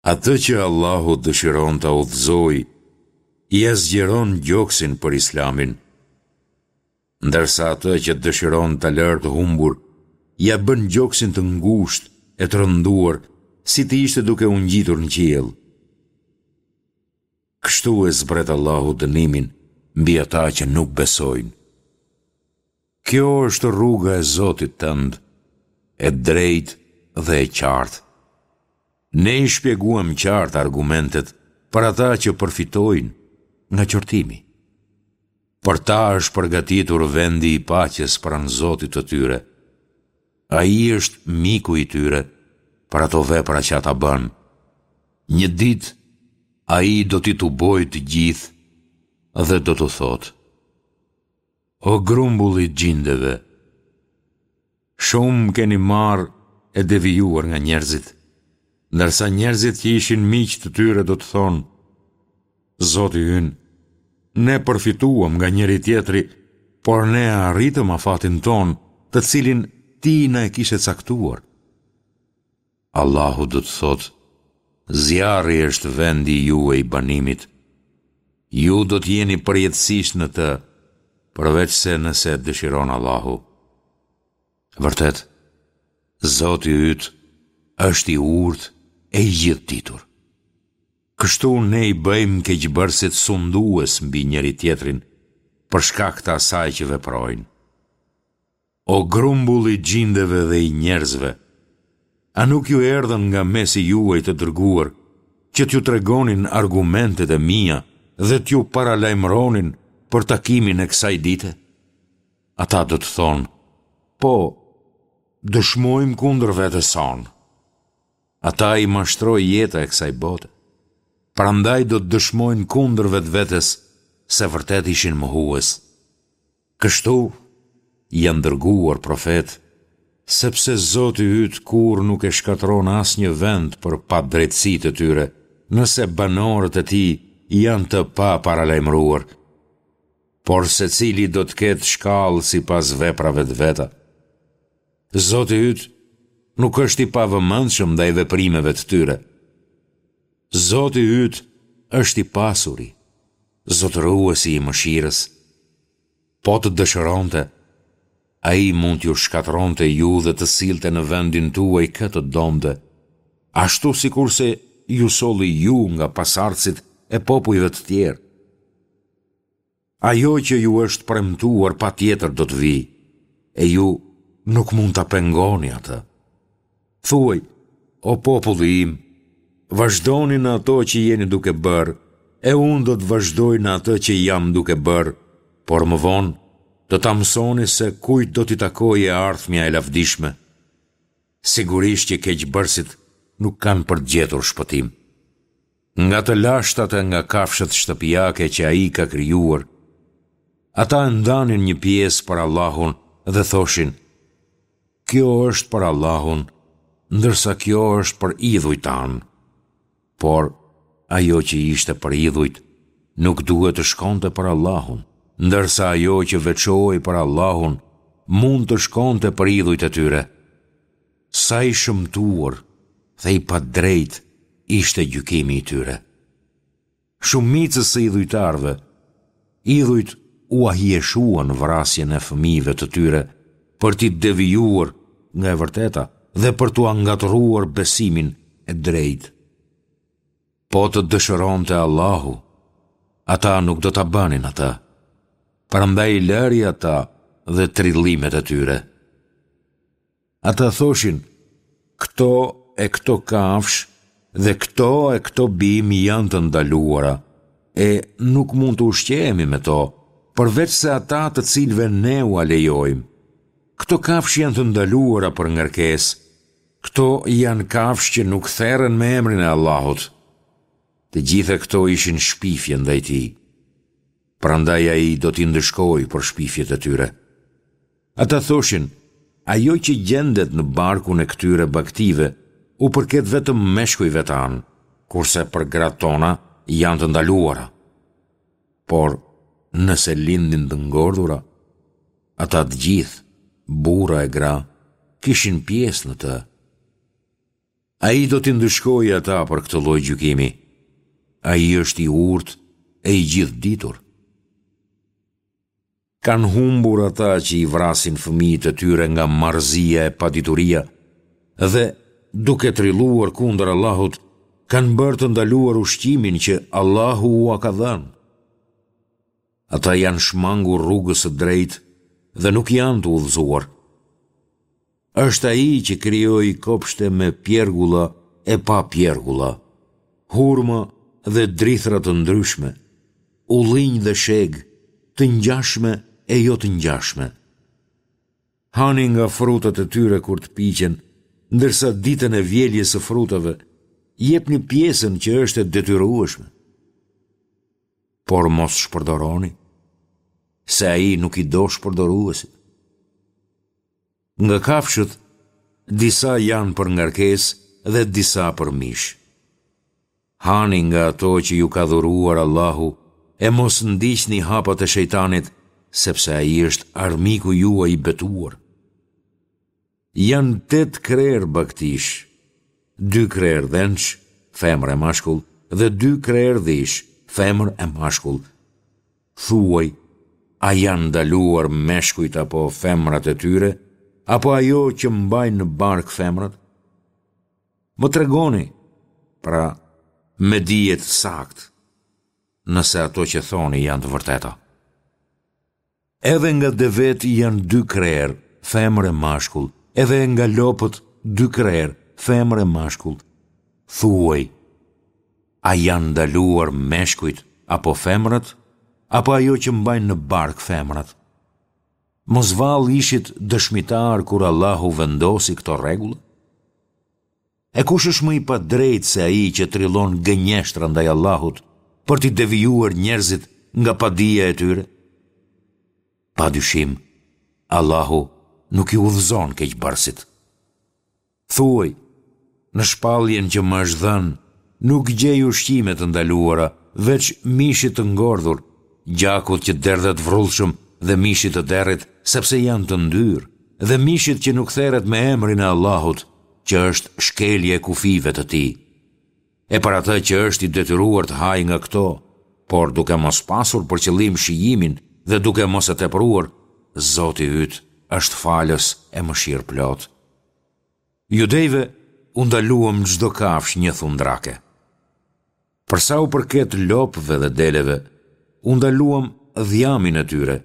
Atë që Allahu dëshiron ta udhëzojë, ia zgjeron gjoksin për Islamin, ndërsa atë që dëshiron ta lërë të humbur, ia bën gjoksin të ngushtë e të rënduar, si të ishte duke u ngjitur në qiell. Kështu e zbret Allahu dënimin mbi ata që nuk besojnë. Kjo është rruga e Zotit tënd, e drejtë dhe e qartë. Ne i shpjeguam qartë argumentet për ata që përfitojnë nga qortimi. Për ta është përgatitur vendi i paqes pranë Zotit të tyre. Ai është miku i tyre për ato vepra që ata bënë. Një ditë ai do t'i tubojë të gjithë dhe do t'u thotë: O grumbull i xhindeve! Shumë keni marrë e devijuar nga njerëzit, ndërsa njerëzit që ishin miq të tyre do të thonë, Zoti ynë, ne përfituam nga njëri-tjetri, por ne e arritëm afatin tonë, të cilin ti na e kishe caktuar. Allahu do të thotë, Zjarri është vendi juaj i banimit. Ju do të jeni përjetësisht në të, përveçse nëse dëshiron Allahu. Vërtet, Zoti yt është i urtë e i gjithëditur. Kështu ne i bëjmë keqbërësit sundues mbi njëri-tjetrin për shkak të asaj që veprojnë. O grumbull i xhindeve dhe i njerëzve, a nuk ju erdhën nga mesi juaj të dërguar që t'ju tregonin argumentet e mia dhe t'ju paralajmëronin për takimin e kësaj dite? Ata do të thonë, po, dëshmojmë kundër vetes sonë. Ata i mashtroi jeta e kësaj bote. Prandaj do të dëshmojnë kundër vetvetes se vërtet ishin mohues. Kështu janë dërguar profetë, sepse Zoti yt kurrë nuk e shkatërron asnjë vend për padrejtësitë e tyre, nëse banorët e tij janë të paparalajmëruar. Por secili do të ketë shkallë sipas veprave të veta. Zoti yt nuk është i pavëmendshëm ndaj veprimeve të tyre. Zoti yt është i pasuri, zotëruesi i mëshirës. Po të dëshironte, ai mund t'ju shkatërronte ju dhe të sillte në vendin tuaj kë të donte, ashtu sikurse ju solli ju nga pasardhësit e popujve të tjerë. Ajo që ju është premtuar patjetër do të vijë, e ju nuk mund ta pengoni atë. Thuaj, o populli im, vazhdoni në ato që jeni duke bërë, e unë do të vazhdoj në atë që jam duke bërë, por më vonë do ta mësoni se kujt do t'i takojë e ardhmja e lavdishme. Sigurisht që keqbërësit nuk kanë për të gjetur shpëtim. Nga të lashtat e nga kafshët shtëpiake që Ai ka krijuar, ata e ndanin një pjesë për Allahun dhe thoshin, Kjo është për Allahun, ndërsa kjo është për idhujt tanë. Por, ajo që ishte për idhujt, nuk duhet të shkonte për Allahun, ndërsa ajo që veçohej për Allahun, mund të shkonte për idhujt e tyre. Sa i shëmtuar dhe i padrejtë ishte gjykimi i tyre. Shumicës së idhujtarëve, idhujt ua hijeshuan vrasjen e fëmijëve të tyre për t'i devijuar nga e vërteta dhe për t'ua ngatërruar besimin e drejtë. Po të dëshironte Allahu, ata nuk do ta bënin atë. Prandaj lëri ata dhe trillimet e tyre. Ata thoshin, këto e këto kafshë dhe këto e këto bimë janë të ndaluara, e nuk mund të ushqehemi me to, përveçse ata të cilëve ne ua lejojmë. Këto kafshë janë të ndaluara për ngarkesë, këto janë kafshë që nuk theren me emrin e Allahut. Të gjitha këto ishin shpifje ndaj tij. Prandaj ai do t'i ndëshkojë për shpifjet e tyre. Ata thoshin, ajo që gjendet në barkun e këtyre bagëtive u përket vetëm meshkujve tanë, kurse për gratë tona janë të ndaluara. Por, nëse lindin të ngordhura, ata të gjithë, burra e gra, kishin pjesë në të. Ai do t'i ndëshkojë ata për këtë lloj gjykimi. Ai është i urtë e i gjithëditur. Kanë humbur ata që i vrasin fëmijët e tyre nga marrëzia e padituria dhe, duke trilluar kundër Allahut, kanë bërë të ndaluar ushqimin që Allahu ua ka dhënë. Ata janë shmangur rrugës së drejtë dhe nuk janë të udhëzuar. Është Ai që krijoi kopshte me pjergulla e pa pjergulla, hurma dhe drithëra të ndryshme, ullinj dhe shegë, të ngjashme e jo të ngjashme. Hani nga frutat e tyre kur të piqen, ndërsa ditën e vjeljes së frutave, jepni pjesën që është e detyrueshme. Por mos shpërdoroni, se ai nuk i do shpërdoruesit. Nga kafshët, disa janë për ngarkesë dhe disa për mish. Hani nga ato që ju ka dhuruar Allahu e mos ndiqni hapat e shejtanit, sepse ai është armiku juaj i betuar. Janë tetë krerë bagëtish, dy krerë dhensh, femër e mashkull, dhe dy krerë dhish, femër e mashkull. Thuaj, a janë ndaluar meshkujt apo femrat e tyre, apo ajo që mbajnë në bark femrat? Më tregoni, pra, me dije të saktë, nëse ato që thoni janë të vërteta. Edhe nga devetë janë dy krerë, femër e mashkull, edhe nga lopët dy krerë, femër e mashkull. Thuaj, a janë ndaluar meshkujt apo femrat, apo ajo që mbajnë në bark femrat? Mos vallë ishit dëshmitarë kur Allahu vendosi këto rregulla? E kush është më i padrejtë se ai që trillon gënjeshtra ndaj Allahut për t'i devijuar njerëzit nga padija e tyre? Pa dyshim, Allahu nuk i udhëzon keqbërësit. Thuaj, në shpalljen që më është dhënë, nuk gjej ushqime të ndaluara, veç mishit të ngordhur, gjakut që derdhet vrullshëm dhe mishit të derrit, sepse janë të ndyrë, dhe mishit që nuk theret me emrin e Allahut, që është shkelje e kufijve të tij. E për atë që është i detyruar të hajë nga këto, por duke mos pasur për qëllim shijimin dhe duke mos e tepruar, Zoti yt është falës e mëshirëplotë. Judejve u ndaluam çdo kafshë njëthundrake. Për sa u përket lopëve dhe deleve, u ndaluam dhjamin e tyre,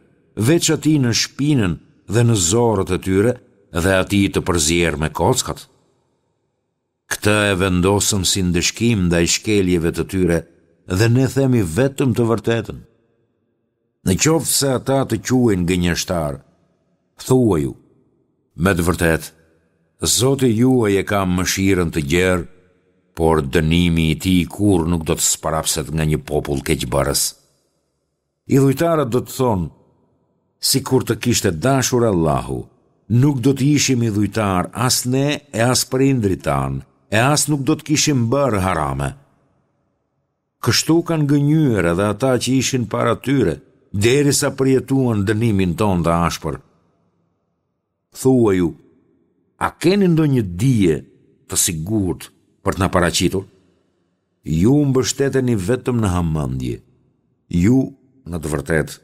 veç atij në shpinën dhe në zorrët e tyre dhe atij të përzier me kockat. Këtë e vendosëm si ndëshkim ndaj shkeljeve të tyre dhe ne themi vetëm të vërtetën. Në qoftë se ata të quajnë gënjeshtar, thuaju, me të vërtetë, Zoti juaj e ka mëshirën të gjerë, por dënimi i tij kurrë nuk do të sprapset nga një popull keqbërës. Idhujtarët do të thonë, sikur të kishte dashur Allahu, nuk do të ishim idhujtarë as ne e as prindërit tanë, e as nuk do të kishim bërë harame. Kështu kanë gënjyer edhe ata që ishin para tyre, derisa përjetuan dënimin tonë të ashpër. Thuaju, a keni ndonjë dije të sigurt për të na paraqitur? Ju mbështeteni vetëm në hamendje. Ju, në të vërtetë,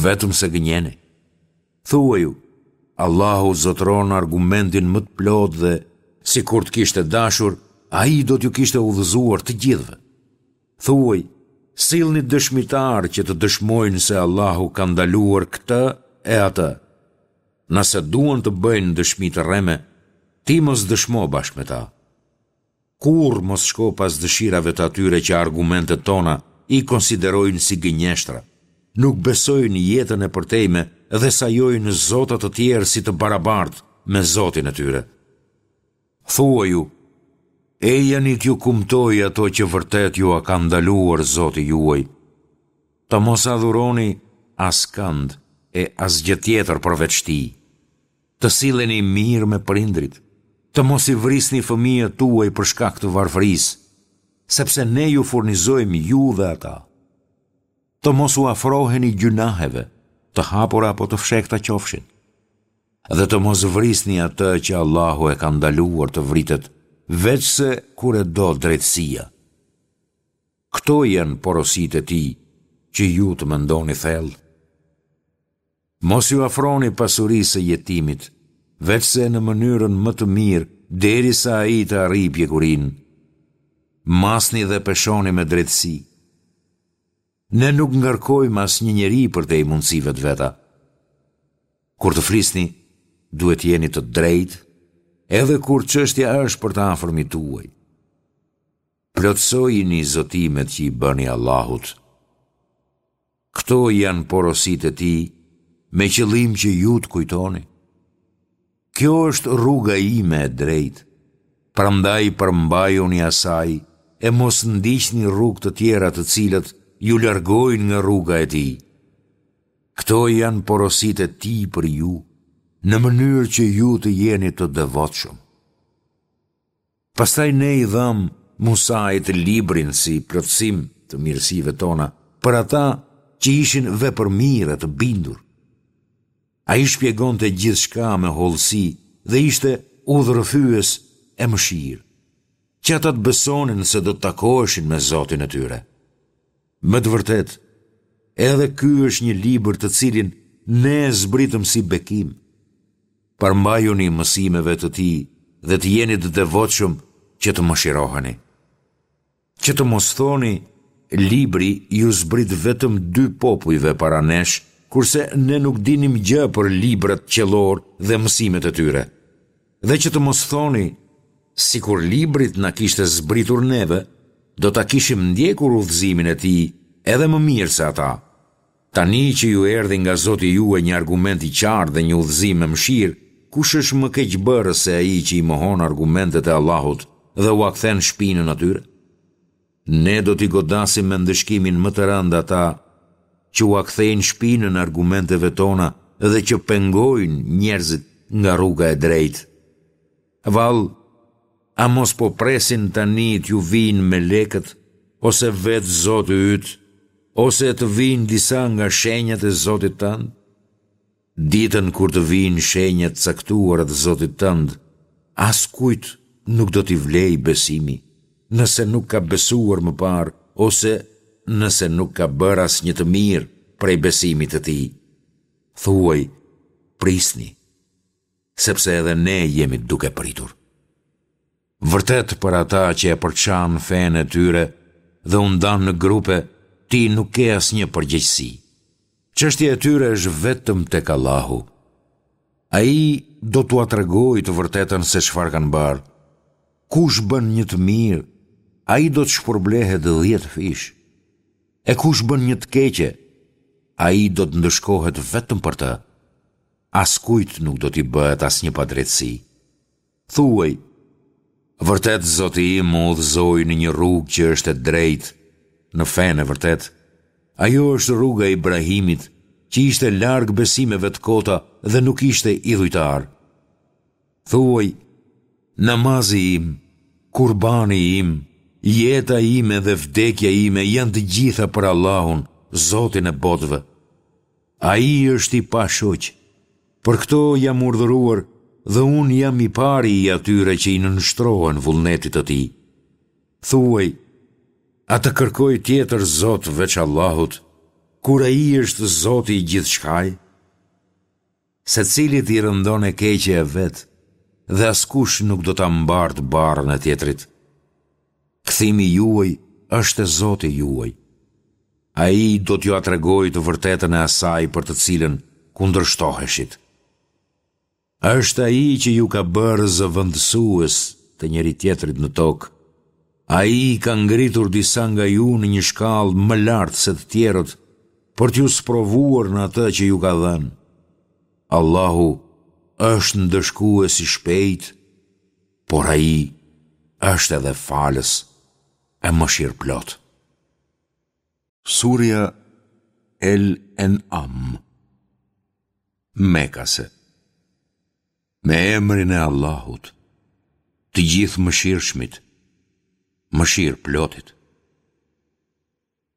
vetëm se gënjeni. Thuaju, Allahu zotëron argumentin më të plotë dhe, sikur të kishte dashur, Ai do t'ju kishte udhëzuar të gjithëve. Thuaj, sillni dëshmitarë që të dëshmojnë se Allahu ka ndaluar këtë e atë. Nëse duan të bëjnë dëshmi të rreme, ti mos dëshmo bashkë me ta. Kurrë mos shko pas dëshirave të atyre që argumentet tona i konsiderojnë si gënjeshtra, nuk besojnë jetën e përtejme dhe sajojnë zota të tjerë si të barabartë me Zotin e tyre. Thuaju, ejani t'ju kumtoj ato që vërtet jua ka ndaluar Zoti juaj. Të mos adhuroni askënd e asgjë tjetër përveç Tij. Të silleni mirë me prindërit, të mos i vrisni fëmijët tuaj për shkak të varfërisë, sepse ne ju furnizojmë ju dhe ata. Të mos u afroheni gjynaheve, të hapura apo të fshehta qofshin. Dhe të mos vrisni atë që Allahu e ka ndaluar të vritet. veçse kur e do drejtësia. Këto janë porositë e Tij, që ju të mendoni thellë. Mos iu afroni pasurisë së jetimit, veçse në mënyrën më të mirë derisa ai të arrijë pjekurinë. Masni dhe peshoni me drejtësi. Ne nuk ngarkojmë asnjë njeri përtej mundësive të veta. Kur të flisni, duhet të jeni të drejtë, edhe kur çështja është për të afërmit tuaj. Plotësojini zotimet që i bëni Allahut. Këto janë porositë e Tij me qëllim që ju të kujtoni. Kjo është rruga ime e drejtë, prandaj përmbajuni asaj e mos ndiqni rrugë të tjera të cilat ju largojnë nga rruga e Tij. Këto janë porositë e Tij për ju, në mënyrë që ju të jeni të devotshëm. Pastaj ne i dhamë Musait librin si plotësim të mirësive tona për ata që ishin vepërmirë e të bindur. Ai shpjegonte gjithçka me hollësi dhe ishte udhërrëfyes e mëshirë, që ata të besonin se do të takoheshin me Zotin e tyre. Me të vërtetë, edhe ky është një libër të cilin ne e zbritëm si bekim. Përmbajuni mësimeve të tij dhe të jeni të devotshëm që të mëshiroheni. Që të mos thoni, libri iu zbrit vetëm dy popujve para nesh, kurse ne nuk dinim gjë për librat qiellorë dhe mësimet e tyre. Dhe që të mos thoni, sikur libri të na kishte zbritur neve, do ta kishim ndjekur udhëzimin e tij edhe më mirë se ata. Tani që ju erdhi nga Zoti juaj një argument i qartë dhe një udhëzim e mëshirë, kush është më keqbërës se ai që i mohon argumentet e Allahut dhe ua kthen shpinën atyre? Ne do t'i godasim me ndëshkimin më të rëndë ata që ua kthejnë shpinën argumenteve tona dhe që pengojnë njerëzit nga rruga e drejtë. Vallë, a mos po presin tani t'ju vijnë melekët, ose vetë Zoti yt, ose të vijnë disa nga shenjat e Zotit tënd? Ditën kur të vijnë shenjat e caktuara të Zotit tënd, askujt nuk do t'i vlejë besimi, nëse nuk ka besuar më parë ose nëse nuk ka bërë asnjë të mirë prej besimit të tij. Thuaj, prisni, sepse edhe ne jemi duke pritur. Vërtet për ata që e përçanë fenë e tyre dhe u ndanë në grupe, ti nuk ke asnjë përgjegjësi. Çështja e tyre është vetëm tek Allahu. Ai do t'ua tregojë të vërtetën se çfarë kanë bërë. Kush bën një të mirë, ai do të shpërblehet dhjetëfish. E kush bën një të keqe, ai do të ndëshkohet vetëm për të. Askujt nuk do t'i bëhet asnjë padrejtësi. Thuaj, Vërtet Zoti im më udhëzoi në një rrugë që është e drejtë, në fenë e vërtetë. Ajo është rruga e Ibrahimit, që ishte larg besimeve të kota dhe nuk ishte idhujtar. Thuaj, Namazi im, kurbani im, jeta ime dhe vdekja ime janë të gjitha për Allahun, Zotin e botëve. Ai është i pashoq. Për këto jam urdhëruar dhe unë jam i pari i atyre që i nënshtrohen vullnetit të tij. Thuaj, a të kërkoj tjetër Zot veç Allahut, kur Ai është Zoti i gjithçkaje? Secilit i rëndon e keqja e vet dhe askush nuk do ta mbartë barrën e tjetrit. Kthimi juaj është te Zoti juaj. Ai do t'jua tregojë të vërtetën e asaj për të cilën kundërshtoheshit. Është Ai që ju ka bërë zëvendësues të njëri-tjetrit në tokë. Ai i ka ngritur disa nga ju në një shkallë më lart se të tjerët për t'ju sprovuar në atë që ju ka dhënë. Allahu është ndëshkues i shpejtë, por Ai është edhe falës e mëshirëplotë. Surja El En'am Mekase Me emrin e Allahut, të Gjithëmëshirshmit, mëshirëplotit.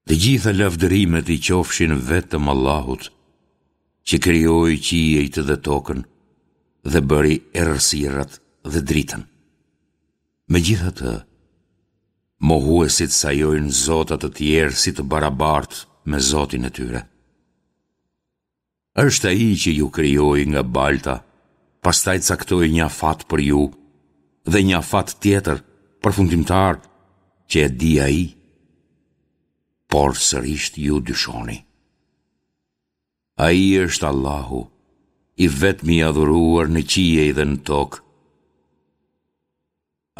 Të gjitha lavdërimet i qofshin vetëm Allahut, që krijoi qiejt dhe tokën dhe bëri errësirat dhe dritën. Megjithatë, mohuesit sajojnë zota të tjerë si të barabartë me Zotin e tyre. Është Ai që ju krijoi nga balta, pastaj caktoi një afat për ju dhe një afat tjetër, përfundimtar, që e di Ai. Por sërisht ju dyshoni. Ai është Allahu, i vetmi i adhuruar në qiej dhe në tokë.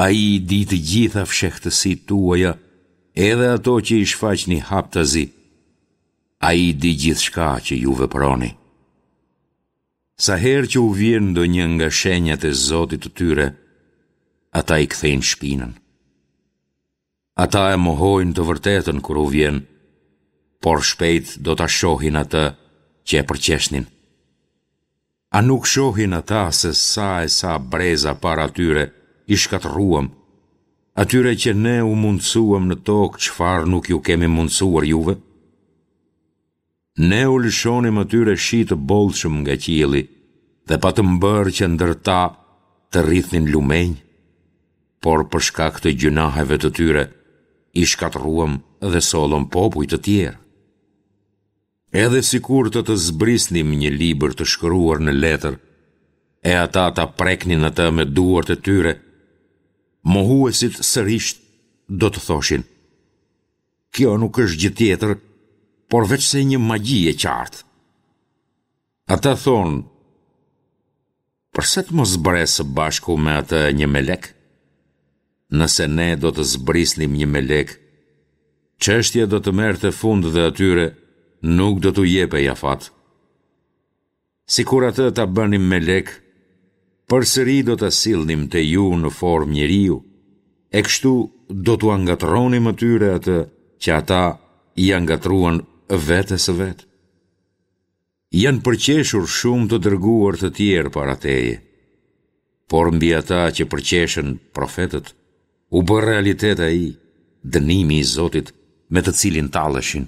Ai i di të gjitha fshehtësitë tuaja, edhe ato që i shfaqni haptazi. Ai di gjithçka që ju veproni. Sa herë që u vjen ndonjë nga shenjat e Zotit të tyre, ata i kthejnë shpinën. Ata e mohojnë të vërtetën kur u vjen, por shpejt do ta shohin atë që e përqeshnin. A nuk shohin ata se sa e sa breza para tyre i shkatërruam, atyre që ne u mundësuam në tokë çfarë nuk ju kemi mundësuar juve? Ne u lëshonim atyre shi të bollshëm nga qielli dhe patëm bërë që ndër ta të rridhnin lumenj, por për shkak të gjynaheve të tyre i shkatërruam dhe sollëm popuj të tjerë. Edhe sikur të të zbrisnim një libër të shkruar në letër, e ata ta preknin atë me duart e tyre, mohuesit sërish do të thoshin, kjo nuk është gjë tjetër, por veçse një magji e qartë. Ata thonë, Përse të mos zbresë së bashku me atë një melek? Nëse ne do të zbrisnim një melek, çështja do të merrte fund dhe atyre nuk do t'u jepej afat. Sikur atë ta bënim melek, përsëri do ta sillnim te ju në formë njeriu, e kështu do t'ua ngatërronim atyre atë që ata ia ngatërruan vetes së vet. Janë përqeshur shumë të dërguar të tjerë para teje. Por mbi ata që përqeshën profetët, u bë realitet ai, dënimi i Zotit, me të cilin talleshin.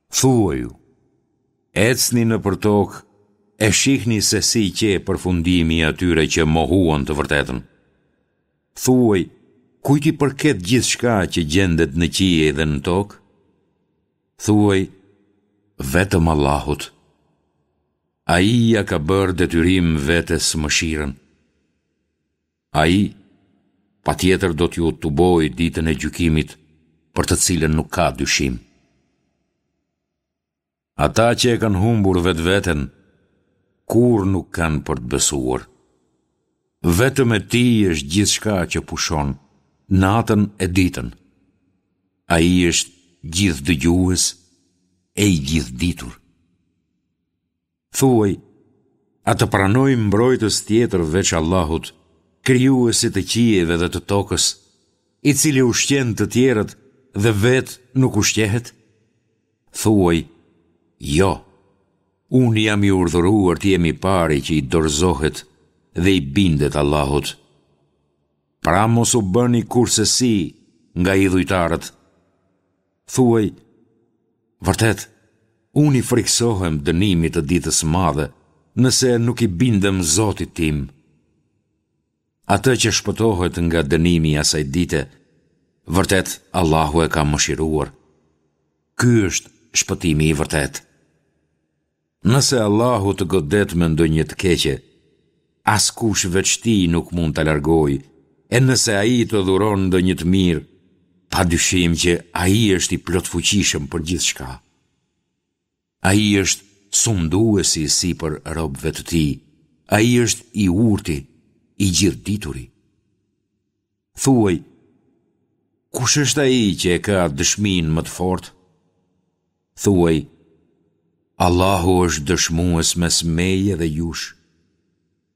Thuaju, ecni nëpër tokë e shihni se si qe përfundimi i atyre që mohuan të vërtetën. Thuaj, kujt i përket gjithçka që gjendet në qiej dhe në tokë? Thuaj, vetëm Allahut. Ai ia ka bërë detyrim vetes mëshirën. Ai, patjetër do t'ju tubojë ditën e gjykimit, për të cilën nuk ka dyshim. Ata që e kanë humbur vetveten, kurrë nuk kanë për të besuar. Vetëm e tij është gjithçka që pushon, natën e ditën. Ai është gjithëdëgjues e i gjithëditur. Thuaj, a të pranoj mbrojtës tjetër veç Allahut, krijuesit të qiejve dhe të tokës, i cili ushqen të tjerët dhe vetë nuk ushqehet? Thuaj, jo, unë jam i urdhëruar të jem i pari që i dorëzohet dhe i bindet Allahut. Pra mos u bëni kurrsesi nga idhujtarët. Thuaj, vërtet, unë i frikësohem dënimit të ditës së madhe, nëse nuk i bindem Zotit tim. Atë që shpëtohet nga dënimi i asaj dite, vërtet Allahu e ka mëshiruar. Ky është shpëtimi i vërtetë. Nëse Allahu të godet me ndonjë të keqe, askush veç Tij nuk mund ta largojë, e nëse Ai të dhuron ndonjë të mirë, pa dyshim që Ai është i plotfuqishëm për gjithçka. Ai është sunduesi sipër robëve të Tij, Ai është i urti, i gjithëdituri. Thuaj, kush është ai që e ka dëshminë më të fortë? Thuaj, Allahu është dëshmues mes meje dhe jush.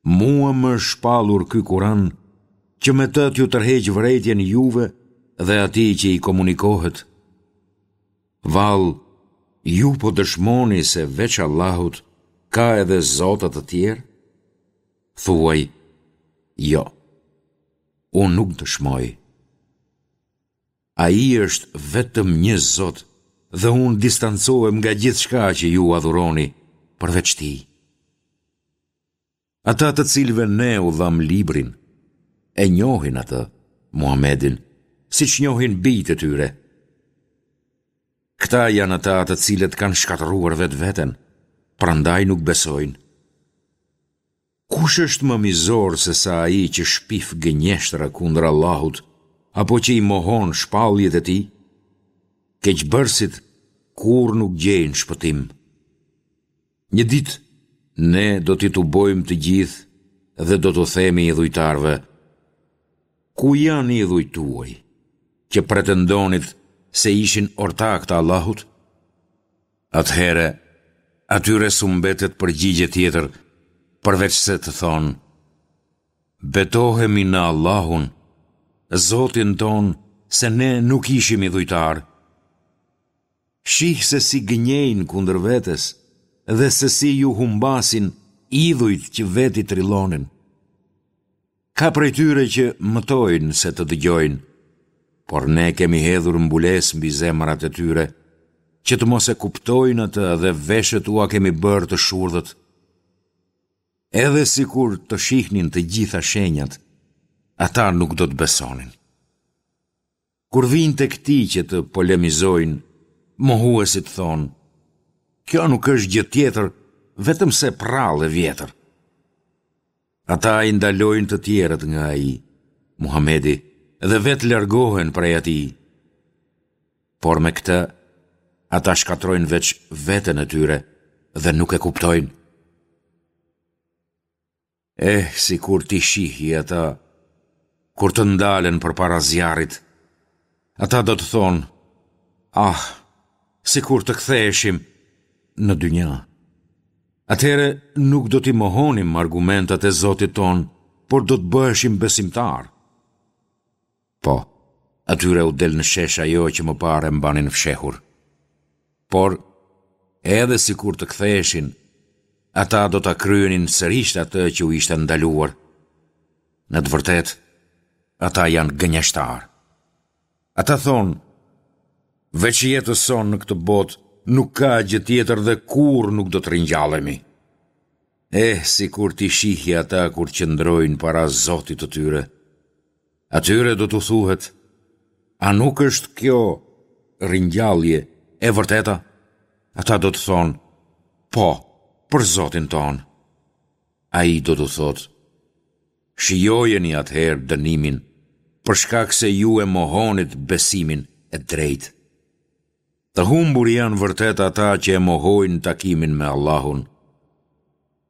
Mua më është shpallur ky Kuran që me të t'ju tërheq vërejtjen juve dhe atij që i komunikohet. Vallë, ju po dëshmoni se veç Allahut ka edhe zota të tjerë? Thuaj, jo, unë nuk dëshmoj. Ai është vetëm një Zot dhe unë distancohem nga gjithçka që ju adhuroni përveç Tij. Ata të cilëve ne u dhamë librin, e njohin atë. Muhamedin, siç njohin bijtë e tyre. Këta janë ata të cilët kanë shkatërruar vetveten, prandaj nuk besojnë. Kush është më mizor se sa ai që shpif gënjeshtra kundër Allahut apo që i mohon shpalljet e tij? Keqbërësit kurrë nuk gjejnë shpëtim. Një ditë ne do t'i tubojmë të gjithë dhe do t'u themi idhujtarëve, Ku janë idhujt tuaj, që pretendonit se ishin ortakë të Allahut? Atëherë, atyre s'u mbetet përgjigje tjetër, përveçse të thonë, Betohemi në Allahun, Zotin tonë, se ne nuk ishim idhujtarë. Shih se si gënjejnë kundër vetes dhe se si ju humbasin idhujt që vetë i trillonin. Ka prej tyre që mëtojnë se të dëgjojnë, por ne kemi hedhur mbulesë mbi zemrat e tyre, që të mos e kuptojnë atë dhe veshët ua kemi bërë të shurdhët. Edhe sikur të shihnin të gjitha shenjat, ata nuk do të besonin. Kur vijnë tek ti që të polemizojnë, mohuesit thonë, kjo nuk është gjë tjetër, vetëm se përrallë e vjetër. Ata i ndalojnë të tjerët nga ai, Muhamedi, dhe vetë largohen prej atij. Por me këtë, ata shkatërrojnë veç veten e tyre dhe nuk e kuptojnë. Eh, sikur t'i shihje ata, kur të ndalen përpara zjarrit, ata do të thonë, ah, sikur të ktheheshim në dynja. Atëherë nuk do t'i mohonim argumentat e Zotit tonë, por do të bëheshim besimtarë. Po, atyre u del në shesh ajo që më parë e mbanin fshehur. Por, edhe sikur të ktheheshin, ata do ta kryenin sërish atë që u ishte ndaluar. Në të vërtetë, ata janë gënjeshtarë. Ata thonë, veç jetës sonë në këtë botë, nuk ka gjë tjetër dhe kurrë nuk do të ringjallemi. Eh, sikur t'i shihje ata kur qëndrojnë para Zotit të tyre. Atyre do t'u thuhet, a nuk është kjo ringjallje e vërteta? Ata do të thonë, po, për Zotin tonë. Ai do t'u thotë, Shijojeni atëherë dënimin, për shkak se ju e mohonit besimin e drejtë. Të humbur janë vërtet ata që e mohojnë takimin me Allahun.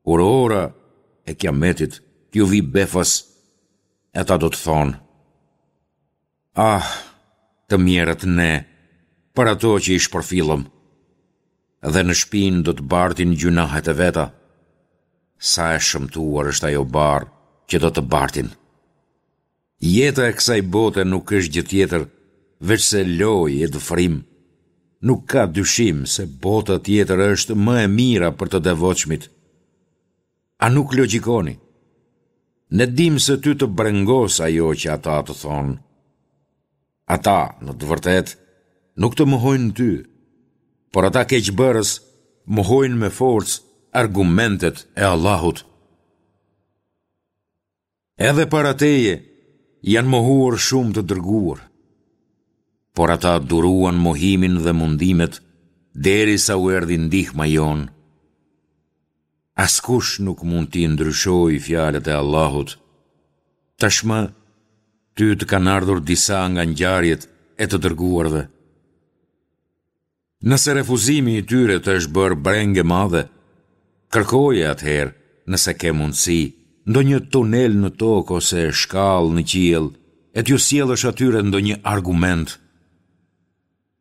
Kur ora e Kiametit t'ju vijë befas, ata do të thonë, Ah, të mjerët ne, për ato që i shpërfillëm, dhe në shpinë do të bartin gjynahet e veta, sa e shëmtuar është ajo barrë që do të bartin. Jeta e kësaj bote nuk është gjë tjetër, veçse lojë e dëfrim. Nuk ka dyshim se bota tjetër është më e mira për të devotshmit. A nuk logjikoni? Ne dimë se ty të brengos ajo që ata të thonë. Ata, në të vërtetë, nuk të mohojnë ty, por ata keqbërës mohojnë me forcë argumentet e Allahut. Edhe para teje janë mohuar shumë të dërguar, por ata duruan mohimin dhe mundimet derisa u erdhi ndihma jonë. Askush nuk mund t'i ndryshojë fjalët e Allahut. Tashmë, ty të kanë ardhur disa nga ngjarjet e të dërguarve. Nëse refuzimi i tyre të është bërë brengë e madhe, kërkoje atëherë, nëse ke mundësi, ndonjë tunel në tokë ose shkallë në qiell e t'ju sjellësh atyre ndonjë argument.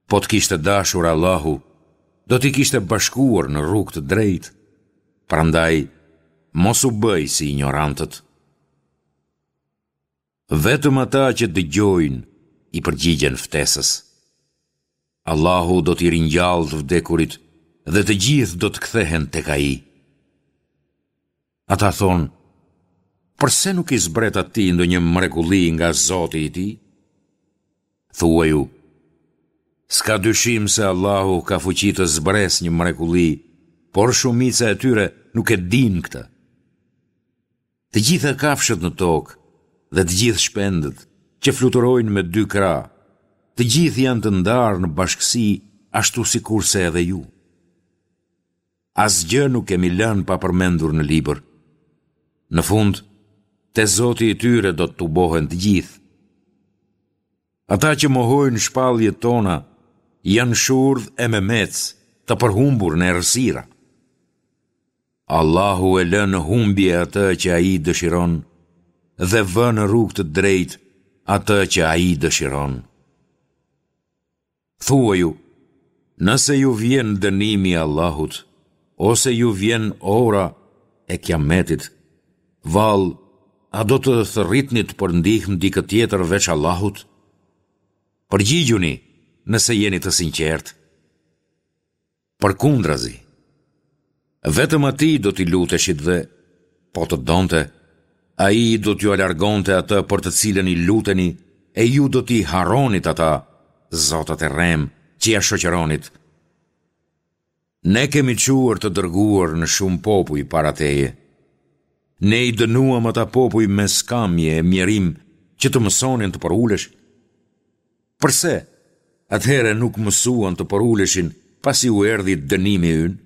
Po të kishte dashur Allahu, do t'i kishte bashkuar në rrugë të drejtë. Prandaj, mos u bëj si injorantët. Vetëm ata që dëgjojnë i përgjigjen ftesës. Allahu do t'i ringjallë të vdekurit dhe të gjithë do të kthehen tek Ai. Ata thonë, përse nuk i zbret atij ndonjë mrekulli nga Zoti i tij? Thuaju, s'ka dyshim se Allahu ka fuqi të zbresë një mrekulli, por shumica e tyre nuk e dinë këtë. Të gjitha kafshët në tokë dhe të gjithë shpendët. që fluturojnë me dy krahë, të gjithë janë të ndarë në bashkësi ashtu sikurse edhe ju. Asgjë nuk kemi lënë pa përmendur në libër. Në fund, te Zoti i tyre do të tubohen të gjithë. Ata që mohojnë shpalljet tona janë shurdh e memecë, të përhumbur në errësira. Allahu e lë në humbje atë që Ai dëshiron dhe vë në rrugë të drejtë atë që Ai dëshiron. Thuaju, nëse ju vjen dënimi i Allahut, ose ju vjen ora e Kiametit, vallë, a do të thërritnit për ndihmë dikë tjetër veç Allahut? Përgjigjuni, nëse jeni të sinqertë. Përkundrazi, vetëm Atij do t'i luteshit dhe, po të donte, Ai do t'jua largonte atë për të cilën i luteni e ju do t'i harronit ata, zotat e rremë, që ia shoqëronit. Ne kemi çuar të dërguar në shumë popuj para teje. Ne i dënuam ata popuj me skamje e mjerim që të mësonin të përuleshin. Përse, atëherë nuk mësuan të përuleshin pasi u erdhi dënimi ynë?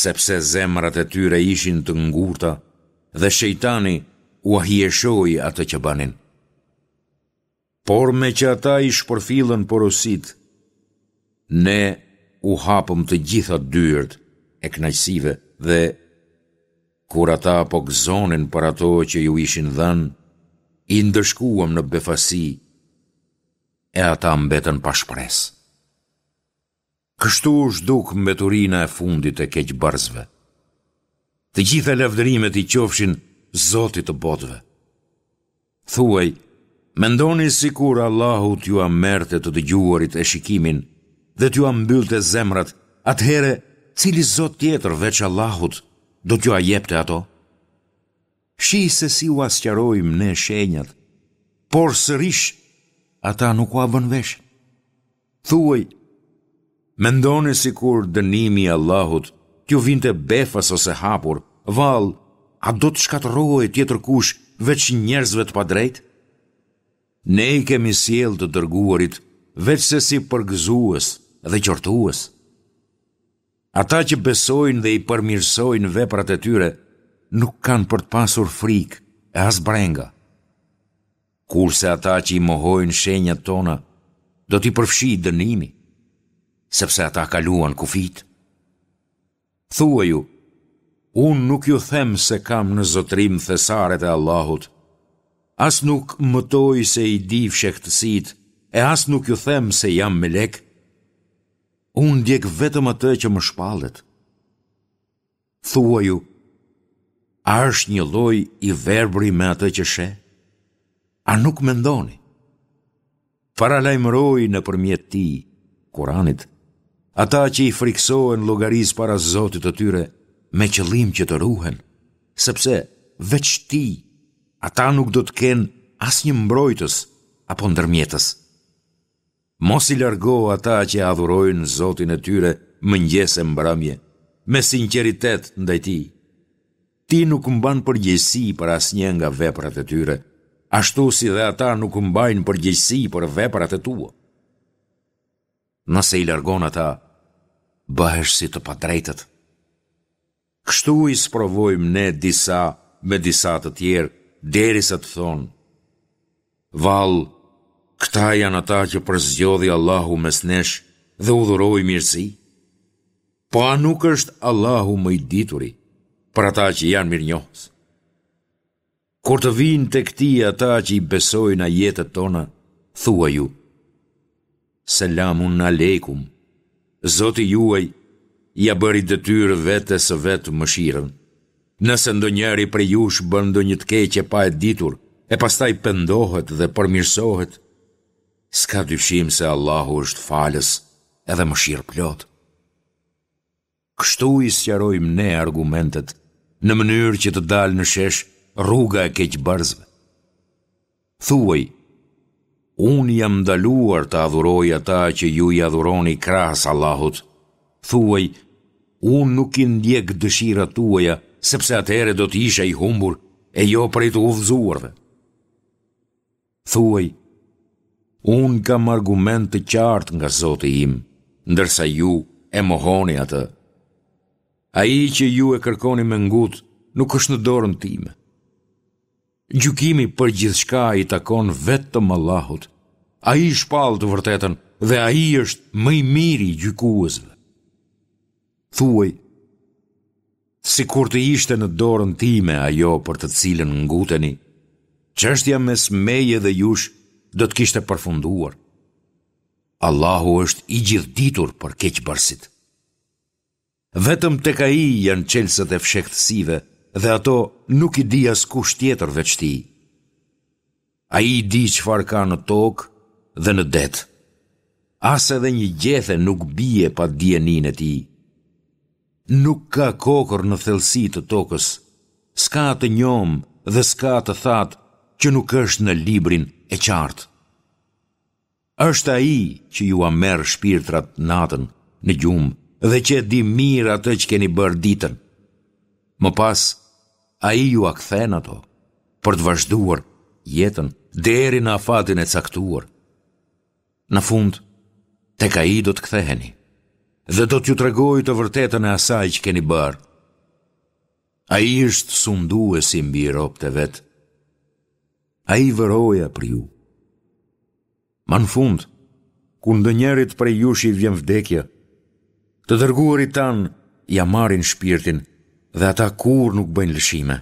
Sepse zemrat e tyre ishin të ngurta dhe shejtani ua hijeshoi atë që bënin. Por meqë ata i shpërfillën porositë, ne u hapëm të gjitha dyert e kënaqësive dhe Kur ata po gëzonin për ato që ju ishin dhënë, i ndëshkuam në befasi e ata mbetën pa shpresë. Kështu u zhduk mbeturina e fundit e keqbërësve. Të gjitha lavdërimet i qofshin Zotit të botëve. Thuaj, mendoni sikur Allahu t'jua merrte të dëgjuarit e shikimin dhe t'jua mbyllte zemrat, atëherë cili zot tjetër veç Allahut do t'jua jepte ato? Shih se si ua sqarojmë ne shenjat, por sërish ata nuk ua vënë veshin. Thuaj, mendoni sikur dënimi i Allahut t'ju vinte befas ose hapur, vallë, a do të shkatërrohej tjetërkush veç njerëzve të padrejtë? Ne i kemi sjellë të dërguarit veçse si përgëzues dhe qortues. Ata që besojnë dhe i përmirësojnë veprat e tyre, nuk kanë për të pasur frikë e as brenga. Kurse ata që i mohojnë shenjat tona, do t'i përfshijë dënimi, sepse ata kaluan kufijtë. Thuaju, unë nuk ju them se kam në zotërim thesaret e Allahut, as nuk mëtoj se i di fshehtësitë e as nuk ju them se jam melek. Unë ndjek vetëm atë që më shpallet. Thuaju, a është njëlloj i verbri me atë që sheh? A nuk mendoni? Paralajmëroji nëpërmjet tij, Kuranit, ata që i frikësohen llogarisë para Zotit të tyre me qëllim që të ruhen, sepse veç tij, ata nuk do të kenë asnjë mbrojtës apo ndërmjetës. Mos i largo ata që e adhurojnë Zotin e tyre mëngjes e mbrëmje, me sinqeritet ndaj Tij. Ti nuk mban përgjegjësi për asnjë nga veprat e tyre, ashtu si dhe ata nuk mbajnë përgjegjësi për veprat e tua. Nëse i largon ata, bëhesh si të padrejtët. Kështu i sprovojmë ne disa me disa të tjerë, derisa të thonë, Vallë, këta janë ata që përzgjodhi Allahu mes nesh dhe u dhuroi mirësi? Po a nuk është Allahu më i dituri për ata që janë mirënjohës? Kur të vijnë tek ti ata që i besojnë ajetet tona, thuaju, Selamun alejkum, Zoti juaj ia bëri detyrë vetes së vet mëshirën. Nëse ndonjëri prej jush bën ndonjë të keqe pa e ditur, e pastaj pendohet dhe përmirësohet, s'ka dyshim se Allahu është falës edhe mëshirëplotë. Kështu i sqarojmë ne argumentet, në mënyrë që të dalë në shesh rruga e keqbërësve. Thuaj, unë jam ndaluar të adhuroj ata që ju i adhuroni krahas Allahut. Thuaj, unë nuk i ndjek dëshirat tuaja, sepse atëherë do të isha i humbur e jo prej të udhëzuarve. Thuaj, unë kam argument të qartë nga Zoti im, ndërsa ju e mohoni atë. Ai që ju e kërkoni me ngut nuk është në dorën time. Gjykimi për gjithçka i takon vetëm Allahut. Ai shpall të vërtetën dhe ai është më i miri i gjykuesve. Thuaj, sikur të ishte në dorën time ajo për të cilën nguteni, çështja mes meje dhe jush do të kishte përfunduar. Allahu është i gjithëditur për keqbërësit. Vetëm tek ai janë çelësat e fshehtësive dhe ato nuk i di askush tjetër veç tij. Ai di çfarë ka në tokë dhe në det. As edhe një gjethe nuk bie pa dijeninë e tij. Nuk ka kokërr në thellësi të tokës, s'ka të njomë dhe s'ka të thatë që nuk është në librin e qartë. Është Ai që jua merr shpirtrat natën në gjumë dhe që e di mirë atë që keni bërë ditën. Më pas, Ai jua kthen ato për të vazhduar jetën deri në afatin e caktuar. Në fund, tek Ai do të ktheheni dhe do t'ju tregojë të vërtetën e asaj që keni bërë. Ai është sunduesi mbi robët e vet. Ai vë roja për ju. Ma në fund, kur ndonjërit prej jush i vjen vdekja, të dërguarit tanë ia marrin shpirtin dhe ata kurrë nuk bëjnë lëshime.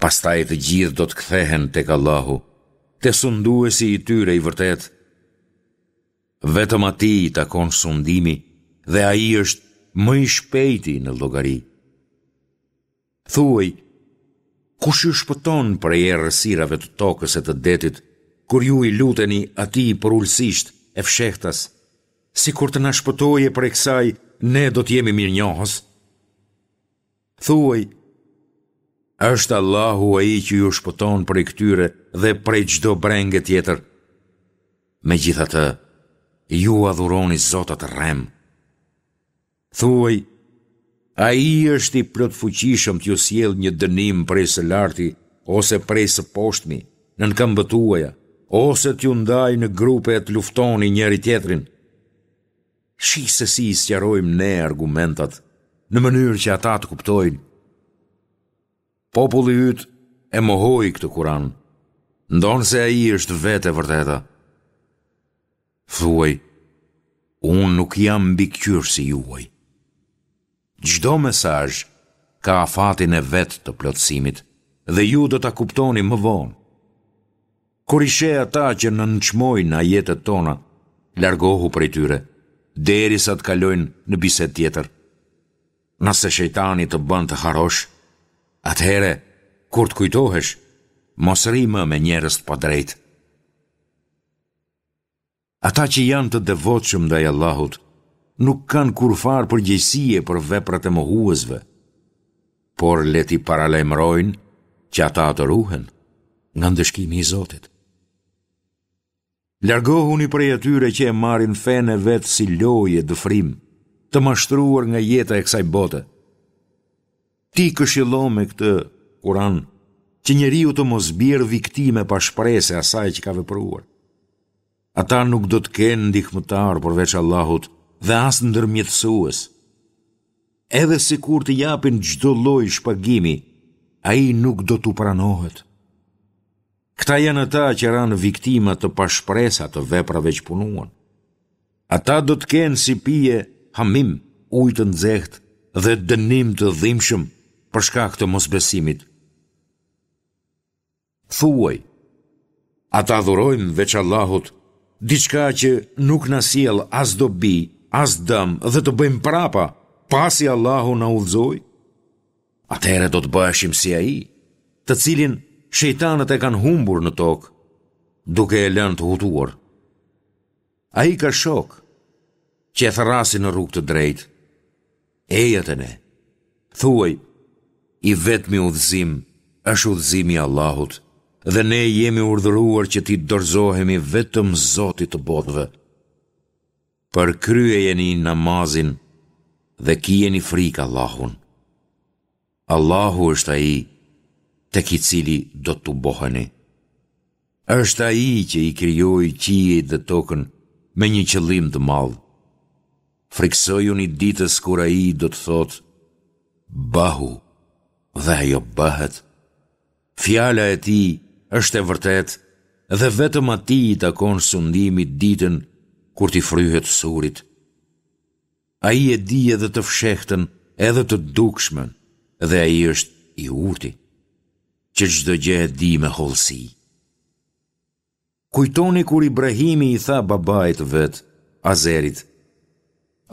Pastaj të gjithë do të kthehen tek Allahu, te sunduesi i tyre i vërtetë. Vetëm atij i takon sundimi dhe ai është më i shpejti në llogari. Thuaj, kush ju shpëton prej errësirave të tokës e të detit, kur ju i luteni atij përulësisht e fshehtas, sikur të na shpëtoje prej kësaj, ne do të jemi mirënjohës? Thuaj, është Allahu ai që ju shpëton prej këtyre dhe prej çdo brenge tjetër. Megjithatë, ju adhuroni zota të rremë. Thuaj, Ai është i plotfuqishëm t'ju sjellë një dënim prej së larti ose prej së poshtmi, nën këmbët tuaja, ose t'ju ndajë në grupe e të luftoni njëri-tjetrin. Shih se si i sqarojmë ne argumentat, në mënyrë që ata të kuptojnë. Populli yt e mohoi këtë Kuran, ndonëse ai është vetë e vërteta. Thuaj, unë nuk jam mbikëqyrësi juaj. Çdo mesazh ka afatin e vet të plotësimit dhe ju do ta kuptoni më vonë. Kur i sheh ata që nënçmojnë ajetet tona, largohu prej tyre, derisa të kalojnë në bisedë tjetër. Nëse shejtani të bën të harrosh, atëherë, kur të kujtohesh, mos rri më me njerëz të padrejtë. Ata që janë të devotshëm ndaj Allahut, nuk kanë kurrfarë përgjegjësie për veprat e mohuesve, por le t'i paralajmërojnë që ata të ruhen nga ndëshkimi i Zotit. Largohuni prej atyre që e marrin fenë e vet si lojë e dëfrim, të mashtruar nga jeta e kësaj bote. Ti këshillo me këtë Kuran që njeriu të mos bjerë viktimë e pashpresë e asaj që ka vepruar. Ata nuk do të kenë ndihmëtar përveç Allahut dhe as ndërmjetësues. Edhe sikur të japin çdo lloj shpagimi, ai nuk do t'u pranohet. Këta janë ata që ranë viktima të pashpresa të veprave që punuan. Ata do të kenë si pije hamim, ujë të nxehtë dhe dënim të dhimbshëm për shkak të mosbesimit. Thuaj, a të adhurojmë veç Allahut, diçka që nuk na sjell as dobi, as dëm dhe të bëjmë prapa, pasi Allahu na udhëzoi? Atëherë do të bëheshim si ai, të cilin shejtanët e kanë humbur në tokë, duke e lënë të hutuar. Ai ka shokë, që e thërrasin në rrugë të drejtë. Eja te ne. Thuaj, i vetmi udhëzim është udhëzimi i Allahut dhe ne jemi urdhëruar që t'i dorëzohemi vetëm Zotit të botëve. Përkryejeni namazin dhe kijeni frikë Allahun. Allahu është ai tek i cili do të tuboheni. Është Ai që i krijoi qiejt dhe tokën me një qëllim të madh. Frikësojuni ditës kur Ai do të thotë, Bëhu, dhe ajo bëhet. Fjala e Tij është e vërtetë dhe vetëm Atij i takon sundimi ditën kur t'i fryhet surit. Ai e di edhe të fshehtën edhe të dukshmen dhe Ai është i Urti, që çdo gjë e di me hollësi. Kujtoni kur Ibrahimi i tha babait të vet, Azerit,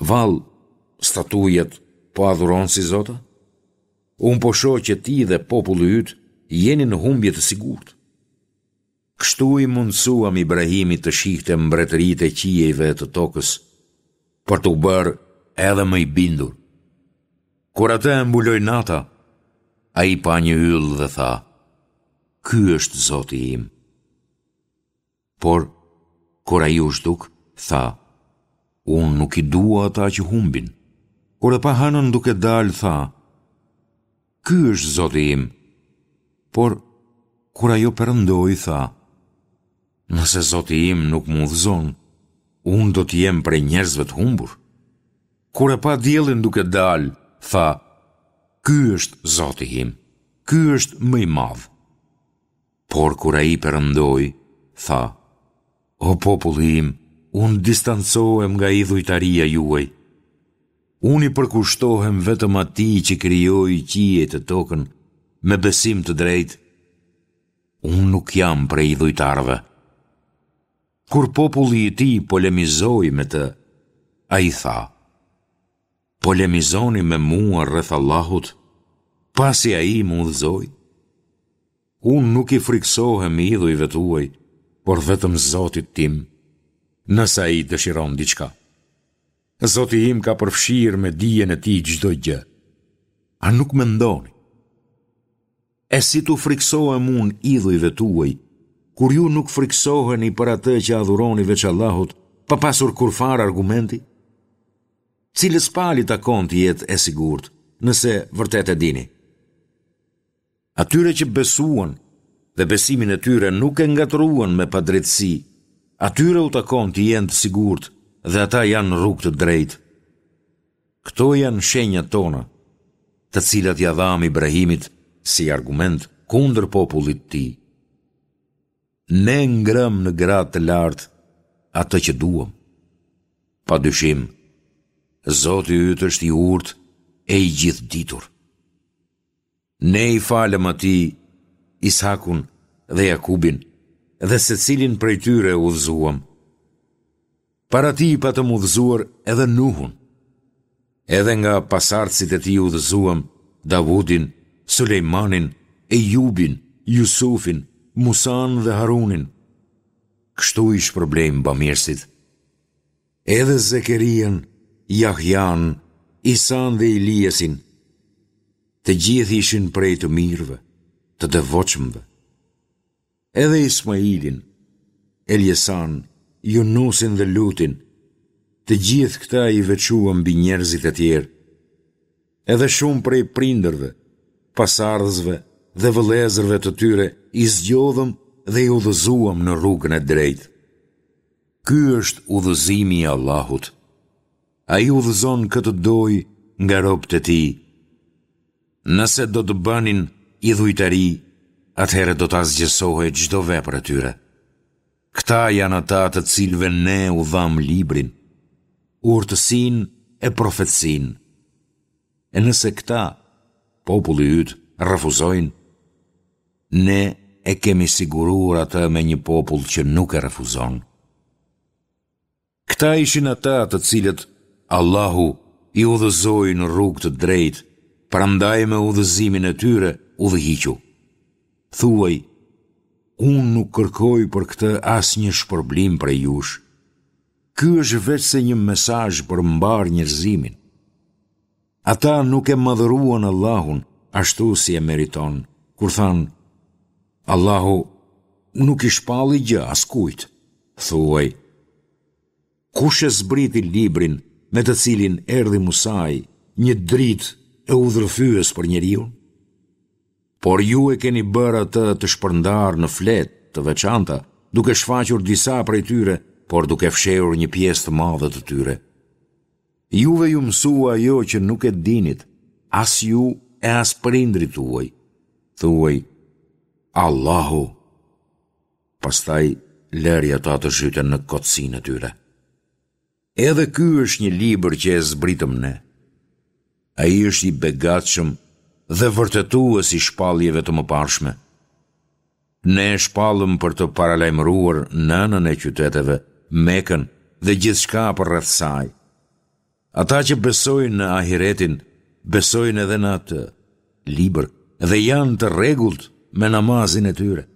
Vallë, statujat po adhuron si zota? Unë po shoh që ti dhe populli yt jeni në humbje të sigurt. Kështu i mundësuam Ibrahimit të shihte mbretëritë e qiejve e të tokës, për t'u bërë edhe më i bindur. Kur atë e mbuloi nata, ai pa një yll dhe tha, Ky është Zoti im. Por, kur ai u zhduk, tha, Unë nuk i dua ata që humbin. Kur e pa hënën duke dalë, tha, Ky është Zoti im. Por, kur ajo perëndoi, tha, Nëse Zoti im nuk më udhëzon, unë do të jem prej njerëzve të humbur. Kur e pa diellin duke dalë, tha, Ky është Zoti im, ky është më i madh. Por kur ai perëndoi, tha, O populli im, unë distancohem nga idhujtaria juaj. Unë i përkushtohem vetëm atij që krijoi qiejt e tokën me besim të drejtë. Unë nuk jam prej idhujtarëve. Kur populli i tij polemizoi me të, ai tha, Polemizoni me mua rreth Allahut, pasi Ai më udhëzoi? Unë nuk i frikësohem idhujve tuaj, por vetëm Zotit tim, nëse Ai dëshiron diçka. Zoti im ka përfshirë me dijen e tij çdo gjë. A nuk mendoni? E si t'u frikësohem unë idhujve tuaj, kur ju nuk frikësoheni për atë që adhuroni veç Allahut, pa pasur kurrfarë argumenti? Cilës palë i takon të jetë e sigurt, nëse vërtet e dini? Atyre që besuan dhe besimin e tyre nuk e ngatërruan me padrejtësi, atyre u takon të jenë të sigurt dhe ata janë në rrugë të drejtë. Këto janë shenjat tona, të cilat ia dhamë Ibrahimit si argument kundër popullit të tij. Ne ngremë në gradë të lartë atë që duam. Pa dyshim, Zoti yt është i urtë e i gjithëditur. Ne i falëm atij Is'hakun dhe Jakubin dhe secilin prej tyre e udhëzuam. Para tij patëm udhëzuar edhe Nuhun. Edhe nga pasardhësit e tij udhëzuam Davudin, Sulejmanin, Ejubin, Jusufin, Musanë dhe Harunin. Kështu i shpërblejmë bamirësit. Edhe Zekerian, Jahjanë, Isanë dhe Iliasin, të gjithë ishin prej të mirëve, të devotshmëve. Edhe Ismailin, Eljesanë, Junusin dhe Lutin, të gjithë këta i veçuam mbi njerëzit e tjerë. Edhe shumë prej prindërve, pasardhësve dhe vëllezërve të tyre i zgjodhëm dhe i udhëzuam në rrugën e drejtë. Ky është udhëzimi i Allahut. Ai udhëzon kë të dojë nga robët e tij. Nëse do të bënin idhujtari, atëherë do të asgjësohej çdo vepër e tyre. Këta janë ata të cilëve ne u dhamë librin, urtësinë e profetësinë. E nëse këta, populli yt, refuzojnë, ne e kemi siguruar atë me një popull që nuk e refuzon. Këta ishin ata të cilët Allahu i udhëzoi në rrugë të drejtë, prandaj me udhëzimin e tyre udhëhiqu. Thuaj, unë nuk kërkoj për këtë asnjë shpërblim prej jush. Ky është veçse një mesazh për mbarë njerëzimin. Ata nuk e madhëruan Allahun ashtu si e meriton, kur thanë, Allahu nuk i shpalli gjë askujt. Thuaj, kush e zbriti librin me të cilin erdhi Musai, një dritë e udhërrëfyes për njeriun? Por ju e keni bërë atë të shpërndarë në fletë. të veçanta, duke shfaqur disa prej tyre, por duke fshehur një pjesë të madhe të tyre. Juve ju mësua ajo që nuk e dinit, as ju e as prindërit tuaj. Thuaj, Allahu. Pastaj lëri ata të zhyten në kotësinë e tyre. Edhe ky është një libër që e zbritëm ne. Ai është i begatshëm dhe vërtetues i shpalljeve të mëparshme. Ne e shpallëm për të paralajmëruar nënën e qyteteve, Mekën dhe gjithçka përreth saj. Ata që besojnë në ahiretin, besojnë edhe në atë libër dhe janë të rregullt me namazin e tyre.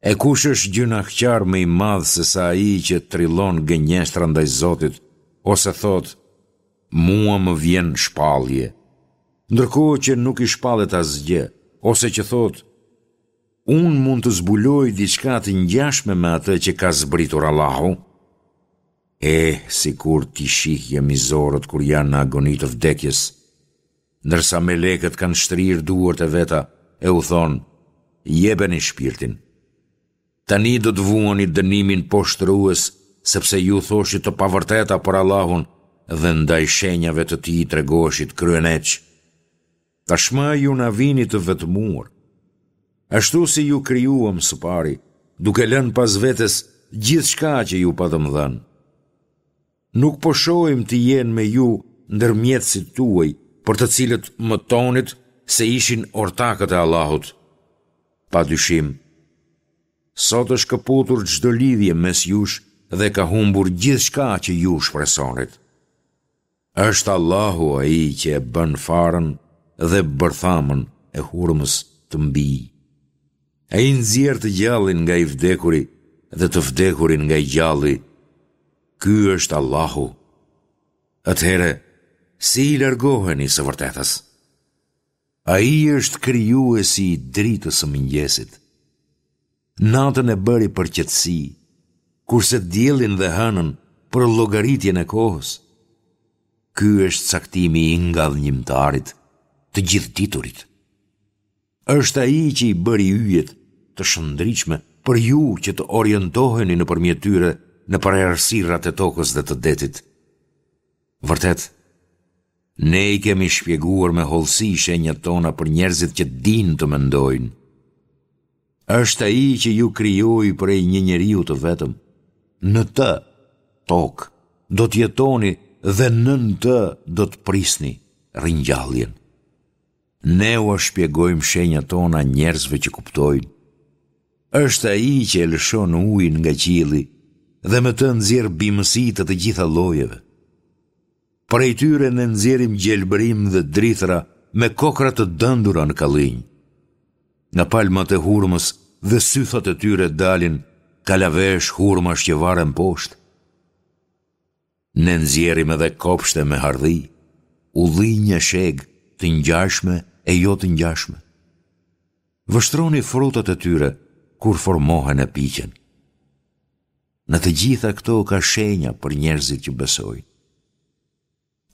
E kush është gjynahqar më i madh se sa ai që trillon gënjeshtra ndaj Zotit, ose thotë, Mua më vjen shpallje, ndërkohë që nuk i shpallet asgjë, ose që thotë, Unë mund të zbuloj diçka të ngjashme me atë që ka zbritur Allahu? Eh, sikur t'i shihje mizorët kur janë në agoni të vdekjes, ndërsa melekët kanë shtrirë duart e veta e u thonë, jepeni shpirtin. Tani do të vuani dënimin poshtërues, sepse ju thoshit të pavërteta për Allahun dhe ndaj shenjave të tij tregoheshit kryeneç. Tashmë ju na vini të vetmuar. Ashtu si ju krijuam së pari, duke lënë pas vetes gjithçka që ju patëm dhënë. Nuk po shohim të jenë me ju ndërmjetësit tuaj, për të cilët mëtonit se ishin ortakët e Allahut. Pa dyshim, sot është këputur çdo lidhje mes jush dhe ka humbur gjithçka që ju shpresonit. Është Allahu ai që e bën farën dhe bërthamën e hurmës të mbijë. Ai nxjerr të gjallin nga i vdekuri dhe të vdekurin nga i gjalli. Ky është Allahu. Atëherë, si i largoheni së vërtetës? Ai është krijuesi i dritës së mëngjesit. Natën e bëri për qetësi, kurse diellin dhe hënën për llogaritjen e kohës. Ky është caktimi i ngadhënjimtarit, të gjithëditurit. Është ai që i bëri yjet të shndritshme për ju që të orientoheni nëpërmjet tyre nëpër errësirat e tokës dhe të detit. Vërtet, ne i kemi shpjeguar me hollësi shenjat tona për njerëzit që dinë të mendojnë. Është ai që ju krijoi prej një njeriu të vetëm. Në të, tokë, do të jetoni dhe nën të do të prisni ringjalljen. Ne ua shpjegojmë shenjat tona njerëzve që kuptojnë. Është ai që e lëshon ujin nga qielli dhe me të nxjerr bimësi të të gjitha llojeve. Prej tyre ne nxjerrim gjelbërim dhe drithëra me kokrra të dendura në kallinj. Nga palmat e hurmës dhe sythat e tyre dalin kalavesh hurmash që varen poshtë. Ne nxjerrim edhe kopshte me hardhi, ullinj e shegë, të ngjashme e jo të ngjashme. Vështroni frutat e tyre kur formohen e piqen. Në të gjitha këto ka shenja për njerëzit që besojnë.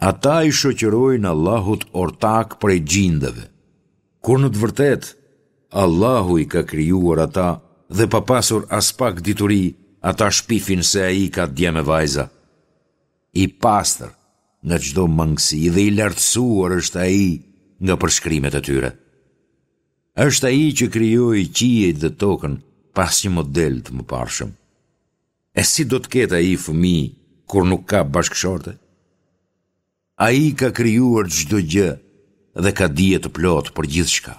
Ata i shoqërojnë Allahut ortakë prej xhindeve, kur në të vërtetë Allahu i ka krijuar ata dhe pa pasur aspak dituri, ata shpifin se ai ka djem e vajza. I pastër nga çdo mangësi dhe i lartësuar është ai nga përshkrimet e tyre. Është ai që krijoi qiejt dhe tokën pa asnjë model të mëparshëm. E si do të ketë ai fëmijë kur nuk ka bashkëshorte? Ai ka krijuar çdo gjë dhe ka dije të plotë për gjithçka.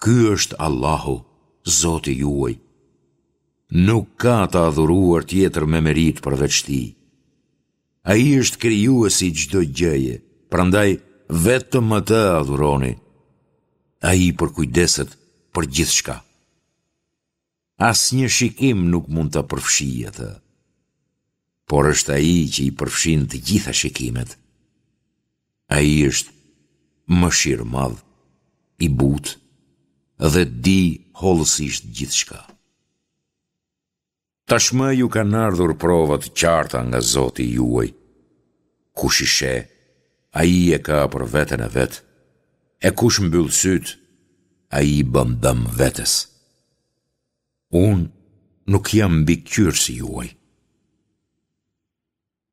Ky është Allahu, Zoti juaj. Nuk ka të adhuruar tjetër me meritë përveç Tij. Ai është krijuesi i çdo gjëje, prandaj vetëm atë adhuroni. Ai përkujdeset për gjithçka. Asnjë shikim nuk mund ta përfshijë atë. Por është ai që i përfshin të gjitha shikimet. Ai është mëshirëmadh, i butë dhe di hollësisht gjithçka. Tashmë ju kanë ardhur prova të qarta nga Zoti juaj. Kush i sheh, ai e ka për veten e vet, e kush mbyll sytë, ai i bën dëm vetes. Unë nuk jam mbikëqyrësi juaj.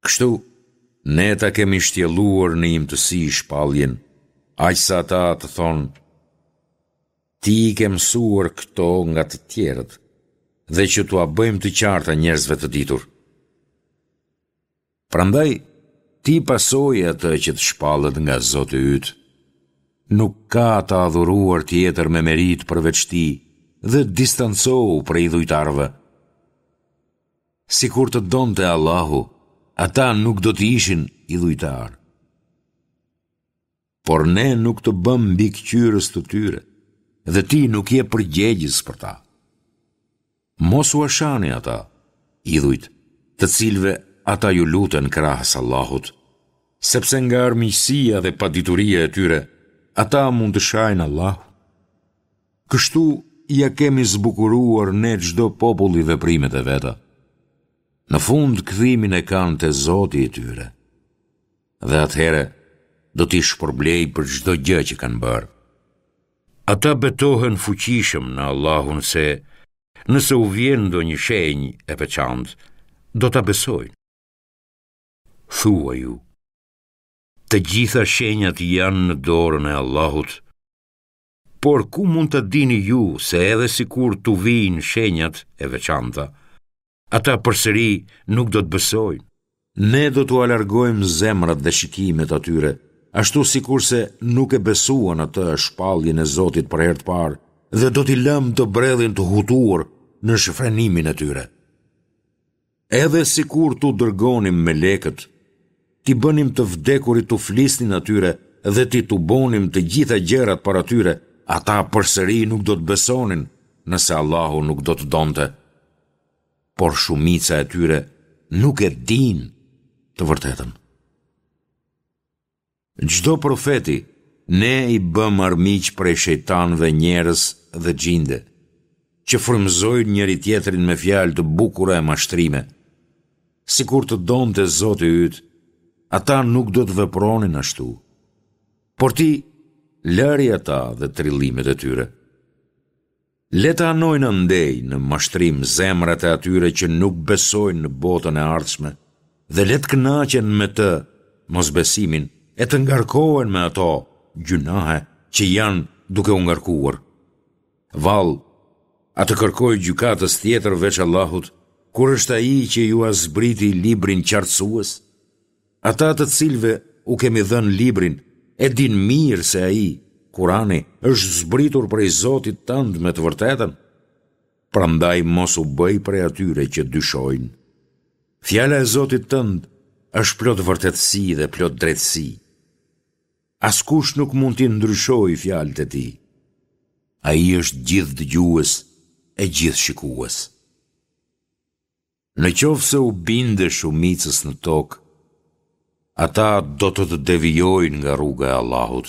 Kështu, ne ta kemi shtjelluar në imtësi shpalljen, aq sa ata të thonë, ti i ke mësuar këto nga të tjerët, dhe që t'ua bëjmë të qarta njerëzve të ditur. Prandaj, ti pasoje atë që të shpallet nga Zoti yt. Nuk ka të adhuruar tjetër me meritë përveç Tij dhe distancohu prej idhujtarëve. Sikur të donte Allahu, ata nuk do të ishin idhujtarë. Por ne nuk të bëmë mbikëqyrës të tyre dhe ti nuk je përgjegjës për ta. Mos ua shani ata, idhujt, të cilëve ata iu luten krahas Allahut, sepse nga armiqësia dhe padituria e tyre, ata mund të shajnë Allahun. Kështu ia kemi zbukuruar ne çdo populli veprimet e veta. Në fund kthimin e kanë te Zoti i tyre. Dhe atëherë do t'i shpërblejë për çdo gjë që kanë bërë. Ata betohen fuqishëm në Allahun se nëse u vjen ndonjë shenjë e veçantë, do ta besojnë. Thuaju, të gjitha shenjat janë në dorën e Allahut, por ku mund ta dini ju se edhe sikur t'u vijnë shenjat e veçanta, ata përsëri nuk do të besojnë. Ne do t'ua largojmë zemrat dhe shikimet atyre, ashtu sikurse nuk e besuan atë shpalljen e Zotit për herë të parë dhe do t'i lëmë të bredhin të hutuar në shfrenimin e tyre. Edhe sikur t'u dërgonim melekët, t'i bënim të vdekurit t'u flisnin atyre dhe t'i tubonim të gjitha gjërat para tyre, ata përsëri nuk do të besonin nëse Allahu nuk do të donte. por shumica e tyre nuk e dinë të vërtetën. Çdo profeti ne i bëmë armiq prej shejtanëve njerëz dhe xhinde, që frymëzojnë njëri-tjetrin me fjalë të bukura e mashtrime. Sikur të donte Zoti yt, ata nuk do të vepronin ashtu. Por ti, lëri ata dhe trillimet e tyre. Le të anojnë andej në mashtrim zemrat e atyre që nuk besojnë në botën e ardhshme dhe le të kënaqen me të, mosbesimin, e të ngarkohen me ato, gjynahe, që janë duke u ngarkuar. Vallë, a të kërkoj gjykatës tjetër veç Allahut, kur është Ai që jua zbriti librin qartësues? Ata të cilëve u kemi dhënë librin e dinë mirë se ai, Kurani, është zbritur prej Zotit tënd me të vërtetën. Prandaj mos u bëj prej atyre që dyshojnë. Fjala e Zotit tënd është plot vërtetësi dhe plot drejtësi. Askush nuk mund t'i ndryshojë fjalët e tij. Ai është gjithëdëgjues e gjithëshikues. Në qoftë se u bindesh shumicës në tokë, ata do të të devijojnë nga rruga e Allahut.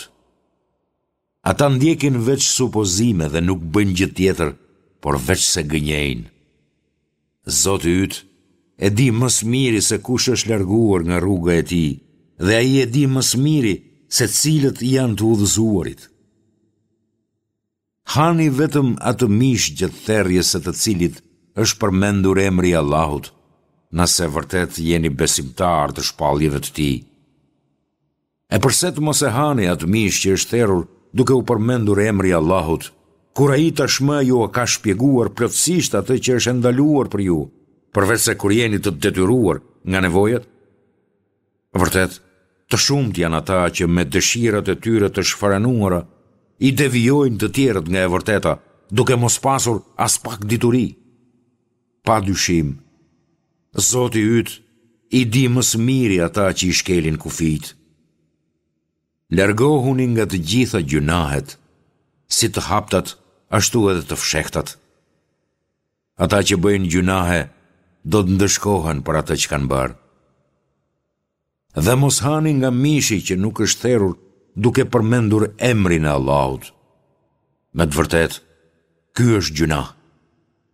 Ata ndjekin veç supozime dhe nuk bëjnë gjë tjetër, por veçse gënjejnë. Zoti yt e di më së miri se kush është larguar nga rruga e tij dhe ai e di më së miri se cilët janë të udhëzuarit. Hani vetëm atë mish gjatë therrjes së të cilit është përmendur emri i Allahut, nëse vërtet jeni besimtarë të shpalljeve të Tij. E përse të mos e hani atë mish që është therrur duke u përmendur emri i Allahut, kur Ai tashmë jua ka shpjeguar plotësisht atë që është e ndaluar për ju, përveçse kur jeni të detyruar nga nevojat? Vërtet, të shumtë janë ata që me dëshirat e tyre të shfrenuara i devijojnë të tjerët nga e vërteta, duke mos pasur aspak dituri. Pa dyshim, Zoti yt i di më së miri ata që i shkelin kufijtë. Largohuni nga të gjitha gjynahet, si të haptat, ashtu edhe të fshehtat. Ata që bëjnë gjynahe do të ndëshkohen për atë që kanë bërë. Dhe mos hani nga mishi që nuk është therur duke përmendur emrin e Allahut. Me të vërtetë, ky është gjynah.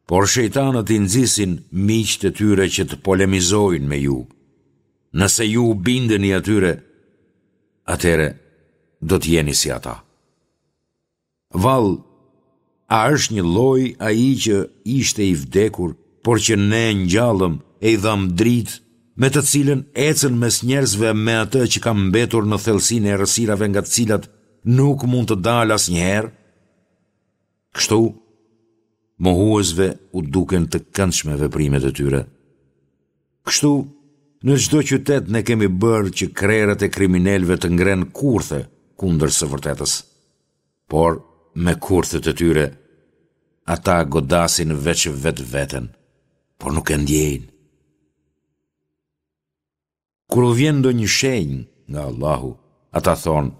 Por shejtanët i nxisin miqtë e tyre që të polemizojnë me ju. Nëse ju u bindeni atyre, atëherë do të jeni si ata. Vallë, A është njëlloj ai që ishte i vdekur, por që ne e ngjallëm e i dhamë dritë, me të cilën ecën mes njerëzve me atë që ka mbetur në thellësinë e errësirave nga të cilat nuk mund të dalë asnjëherë? Kështu, mohuesve u duken të këndshme veprimet e tyre. Kështu, në çdo qytet ne kemi bërë që krerët e kriminelëve të ngrenë kurthe kundër së vërtetës. Por, me kurthet e tyre, ata godasin veç vetveten, por nuk e ndjejnë. Kur u vjen ndonjë shenjë nga Allahu, ata thonë,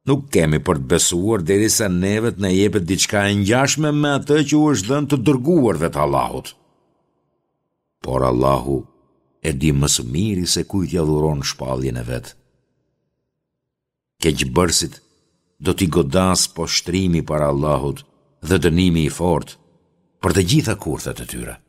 Nuk kemi për të besuar derisa neve të na jepet diçka e ngjashme me atë që u është dhënë të dërguarve të Allahut. Por Allahu e di më së miri se kujt ia dhuron shpalljen e vet. Keqbërësit do t'i godasë poshtërimi para Allahut dhe dënimi i fortë për të gjitha kurthet e tyre.